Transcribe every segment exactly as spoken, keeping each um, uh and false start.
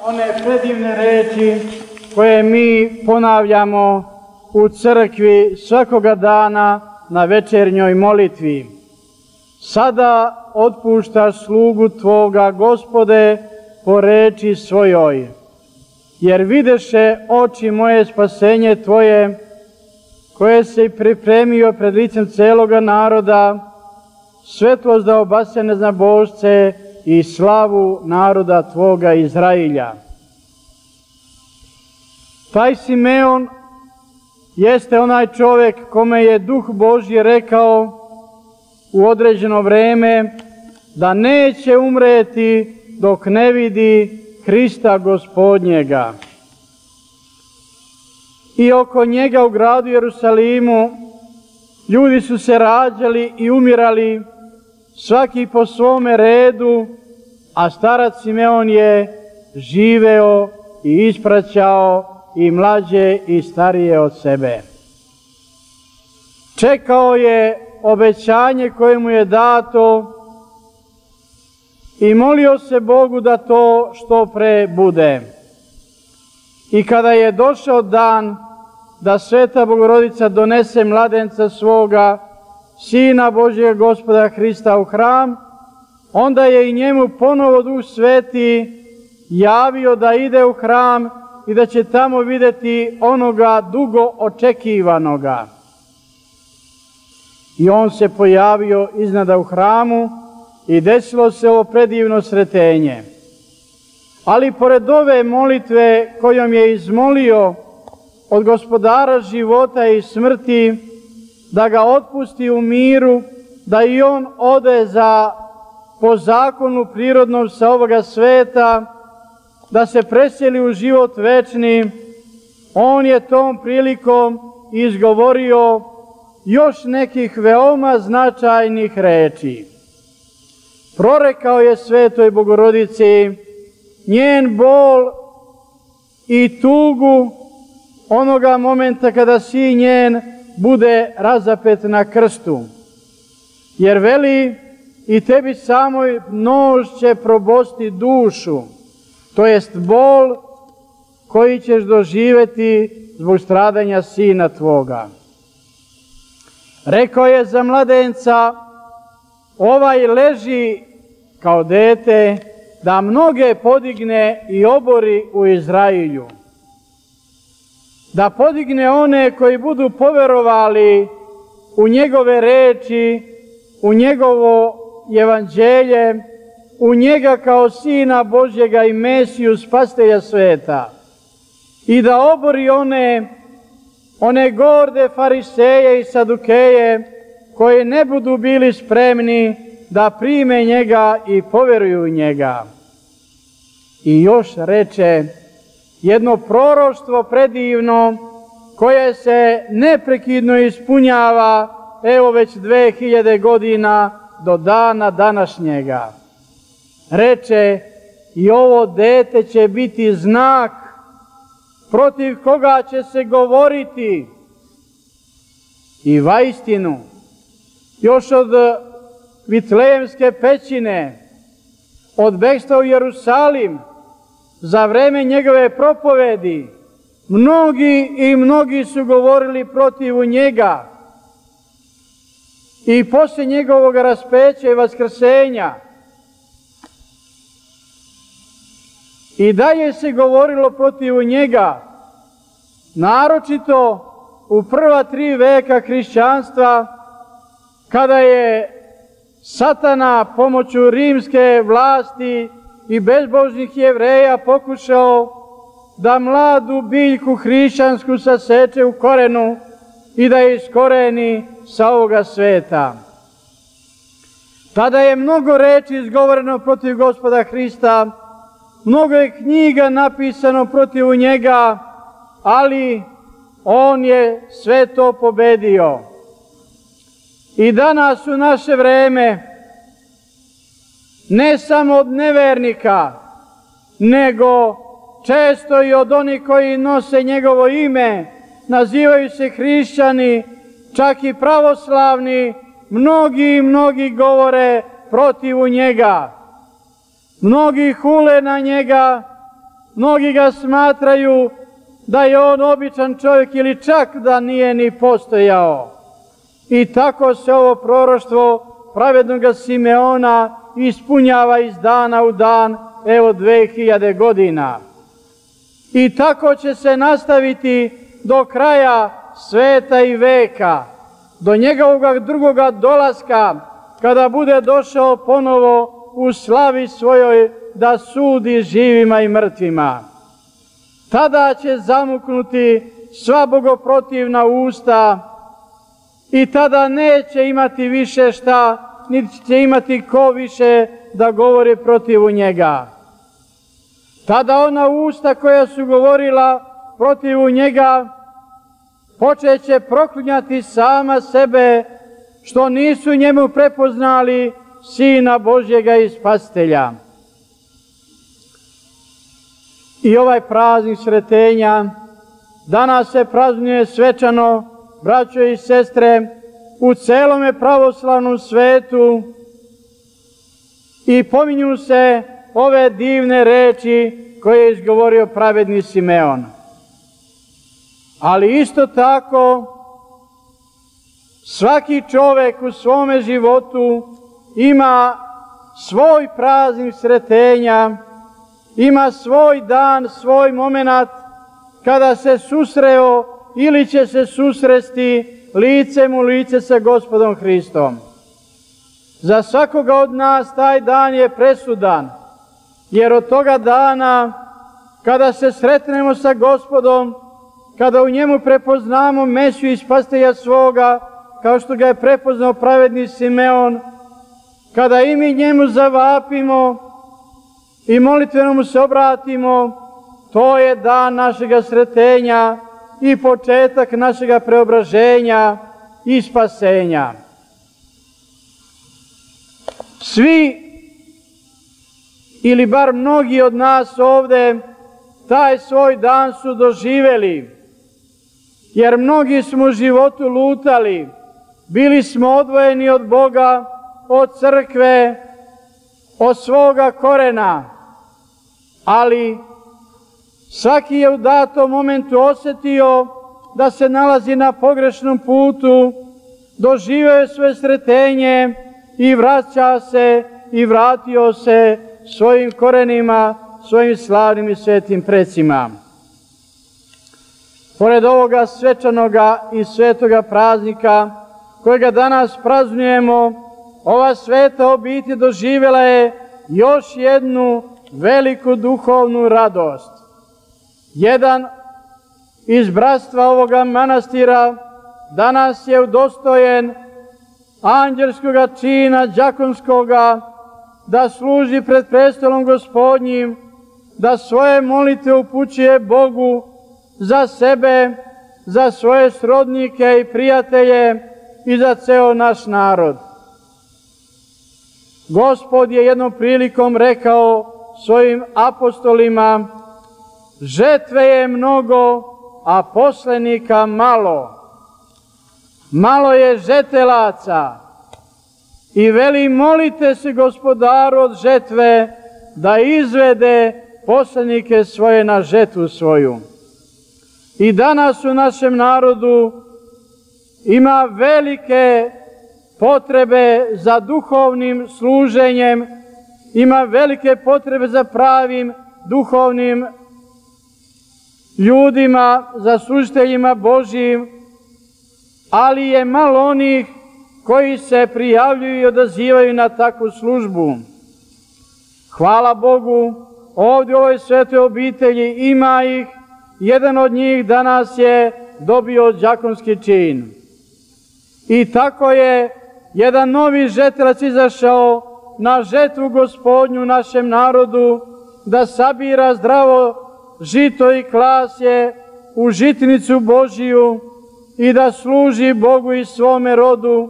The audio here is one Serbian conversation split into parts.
one predivne reči koje mi ponavljamo u crkvi svakoga dana na večernjoj molitvi. Sada otpuštaš slugu Tvoga, Gospode, po reči svojoj, jer videše oči moje spasenje Tvoje, koje se pripremio pred licem celoga naroda, svetlost da obasja neznabošce i slavu naroda Tvoga Izrailja. Taj Simeon jeste onaj čovjek kome je Duh Božji rekao u određeno vreme da neće umreti dok ne vidi Hrista Gospodnjega. I oko njega u gradu Jerusalimu ljudi su se rađali i umirali, svaki po svome redu, a starac Simeon je živeo i ispraćao i mlađe i starije od sebe. Čekao je obećanje koje mu je dato i molio se Bogu da to što pre bude. I kada je došao dan da Sveta Bogorodica donese mladenca svoga, Sina Božjeg Gospoda Hrista u hram, onda je i njemu ponovo Duh Sveti javio da ide u hram i da će tamo vidjeti onoga dugo očekivanoga. I on se pojavio iznada u hramu i desilo se ovo predivno sretenje. Ali pored ove molitve kojom je izmolio od Gospodara života i smrti da ga otpusti u miru, da i on ode za po zakonu prirodnom sa ovoga sveta, da se preseli u život večni, on je tom prilikom izgovorio još nekih veoma značajnih reči. Prorekao je Svetoj Bogorodici njen bol i tugu onoga momenta kada sin njen bude razapet na krstu. Jer veli, i tebi samoj nož će probosti dušu, to jest bol koji ćeš doživjeti zbog stradanja sina tvoga. Rekao je za mladenca, ovaj leži kao dete, da mnoge podigne i obori u Izrailju. Da podigne one koji budu poverovali u njegove reči, u njegovo evanđelje, u njega kao Sina Božjega i Mesiju, Spasitelja sveta. I da obori one, one gorde fariseje i sadukeje koji ne budu bili spremni da prime njega i poveruju u njega. I još reče jedno proroštvo predivno koje se neprekidno ispunjava evo već dve hiljade godina do dana današnjega. Reče, i ovo dete će biti znak protiv koga će se govoriti. I vaistinu, još od Vitlejemske pećine, od bekstva u Jerusalim, za vreme njegove propovedi, mnogi i mnogi su govorili protiv njega. I poslije njegovog raspeća i vaskrsenja i dalje se govorilo protiv njega, naročito u prva tri veka hrišćanstva, kada je Satana pomoću rimske vlasti i bezbožnih Jevreja pokušao da mladu biljku hrišćansku saseče u korenu i da je iskoreni sa ovoga sveta. Tada je mnogo reči izgovoreno protiv Gospoda Hrista, mnogo je knjiga napisano protiv njega, ali on je sve to pobedio. I danas u naše vreme, ne samo od nevernika, nego često i od onih koji nose njegovo ime, nazivaju se hrišćani, čak i pravoslavni, mnogi i mnogi govore protiv njega. Mnogi hule na njega Mnogi ga smatraju da je on običan čovjek ili čak da nije ni postojao. I tako se ovo proroštvo pravednoga Simeona ispunjava iz dana u dan, evo dve hiljade godina. I tako će se nastaviti do kraja sveta i veka, do njegovog drugoga dolaska, kada bude došao ponovo u slavi svojoj da sudi živima i mrtvima. Tada će zamuknuti sva bogoprotivna usta i tada neće imati više šta, niti će imati ko više da govori protiv njega. Tada ona usta koja su govorila protiv njega počeće proklinjati sama sebe što nisu njemu prepoznali Sina Božjega i Spasitelja. I ovaj praznik sretenja danas se praznuje svečano, braćo i sestre, u celome pravoslavnom svetu i pominju se ove divne reči koje je izgovorio pravedni Simeon. Ali isto tako, svaki čovek u svome životu ima svoj praznik sretenja, ima svoj dan, svoj moment kada se susreo ili će se susresti licem u lice sa Gospodom Hristom. Za svakoga od nas taj dan je presudan, jer od toga dana kada se sretnemo sa Gospodom, kada u njemu prepoznamo Mesiju i Spasitelja svoga, kao što ga je prepoznao pravedni Simeon, kada i mi njemu zavapimo i molitveno mu se obratimo, to je dan našega sretenja i početak našega preobraženja i spasenja. Svi, ili bar mnogi od nas ovde, taj svoj dan su doživeli, jer mnogi smo u životu lutali, bili smo odvojeni od Boga, od crkve, od svoga korena, ali svaki je u datom momentu osetio da se nalazi na pogrešnom putu, doživio je svoje sretenje i vraća se i vratio se svojim korenima, svojim slavnim i svetim precima. Pored ovoga svečanoga i svetoga praznika, kojega danas praznujemo, ova sveta obitelj doživjela je još jednu veliku duhovnu radost. Jedan iz bratstva ovoga manastira danas je udostojen anđelskoga čina đakonskoga da služi pred prestolom Gospodnjim, da svoje molitve upućuje Bogu za sebe, za svoje srodnike i prijatelje i za ceo naš narod. Gospod je jednom prilikom rekao svojim apostolima: žetve je mnogo, a poslenika malo. Malo je žetelaca i veli: molite se Gospodaru od žetve da izvede poslenike svoje na žetvu svoju. I danas u našem narodu ima velike potrebe za duhovnim služenjem, ima velike potrebe za pravim duhovnim ljudima, za služiteljima Božjim, ali je malo onih koji se prijavljuju i odazivaju na takvu službu. Hvala Bogu, ovdje u ovoj svetoj obitelji ima ih, jedan od njih danas je dobio đakonski čin. I tako je jedan novi žetelac izašao na žetvu Gospodnju našem narodu, da sabira zdravo žito i klasje u žitnicu Božiju i da služi Bogu i svome rodu,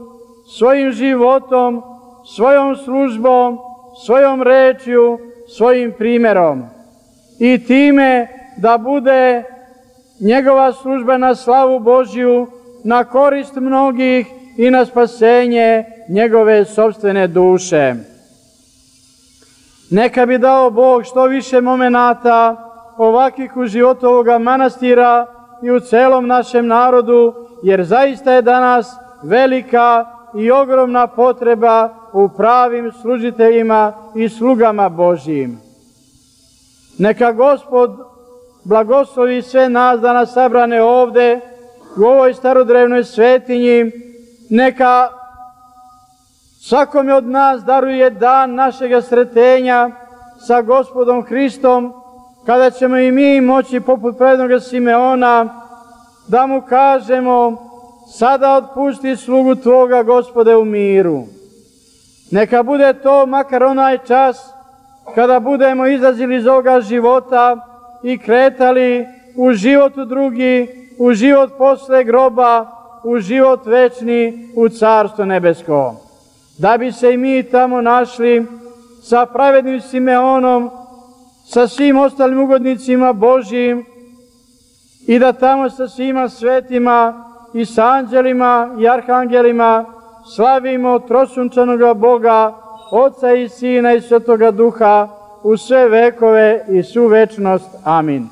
svojim životom, svojom službom, svojom rečju, svojim primjerom. I time da bude njegova služba na slavu Božju, na korist mnogih i na spasenje njegove sopstvene duše. Neka bi dao Bog što više momenata ovakvih u životu ovoga manastira i u celom našem narodu, jer zaista je danas velika i ogromna potreba u pravim služiteljima i slugama Božjim. Neka Gospod blagoslovi sve nas danas sabrane ovde u ovoj starodrevnoj svetinji, neka svakome od nas daruje dan našega sretenja sa Gospodom Hristom, kada ćemo i mi moći poput prednoga Simeona da mu kažemo: sada otpusti slugu Tvoga, Gospode, u miru. Neka bude to makar onaj čas kada budemo izlazili iz ovoga života i kretali u život u drugi, u život posle groba, u život večni, u Carstvo nebesko. Da bi se i mi tamo našli sa pravednim Simeonom, sa svim ostalim ugodnicima Božjim i da tamo sa svima svetima i sa anđelima i arhangelima slavimo trosunčanoga Boga, Oca i Sina i Svetoga Duha u sve vekove i svu večnost. Amin.